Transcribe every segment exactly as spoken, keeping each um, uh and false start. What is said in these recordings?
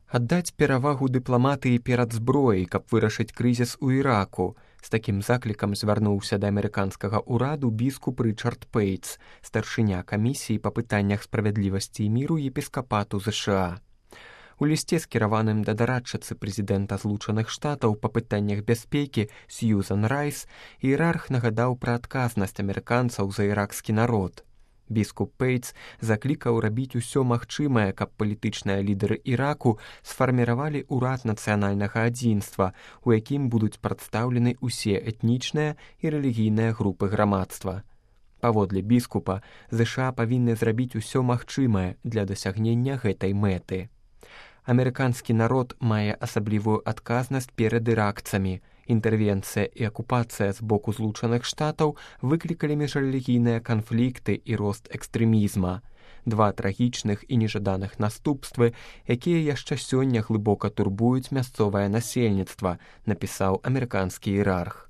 Аддаць перавагу дыпламатыі перад зброяй, каб вырашыць крызіс у Іраку. З такім заклікам звярнуўся да амерыканскага ўраду біскуп Рычард Пейтс, старшыня камісіі па пытаннях справядлівасці і міру епіскапату ЗША. У лісце, скіраваным да дарадчыцы прэзідэнта Злучаных Штатаў па пытаннях бяспекі Сьюзан Райс, іерарх нагадаў пра адказнасць амерыканцаў за іракскі народ. Біскуп Пейтс заклікаў рабіць усё магчымае, каб палітычныя лідары Іраку сфарміравалі ўрад нацыянальнага адзінства, у якім будуць прадстаўлены ўсе этнічныя і рэлігійныя групы грамадства. Паводле біскупа, ЗША павінны зрабіць усё магчымае для дасягнення гэтай мэты. Амерыканскі народ мае асаблівую адказнасць перад іракцамі. Інтэрвенцыя і акупацыя з боку Злучаных Штатаў выклікалі міжрэлігійныя канфлікты і рост экстрэмізма. Два трагічных і нежаданых наступствы, якія яшчэ сёння глыбока турбуюць мясцовае насельніцтва, напісаў амерыканскі іерарх.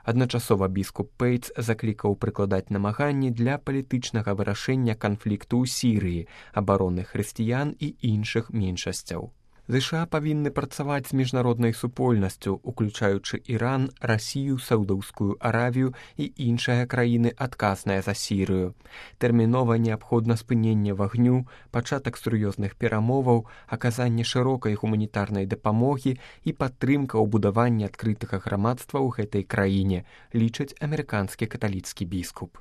Адначасова біскуп Пейтс заклікаў прыкладаць намаганні для палітычнага вырашэння канфлікту ў Сірыі, абароны хрысціян і іншых меншасцяў. ЗША павінны працаваць з міжнароднай супольнасцю, уключаючы Іран, Расію, Саўдаўскую Аравію і іншыя краіны, адказныя за Сірыю. Тэрмінова неабходна спыненне вагню, пачатак сур'ёзных перамоваў, аказанне шырокай гуманітарнай дапамогі і падтрымка ў будаванні адкрытага грамадства ў гэтай краіне, лічыць амерыканскі каталіцкі біскуп.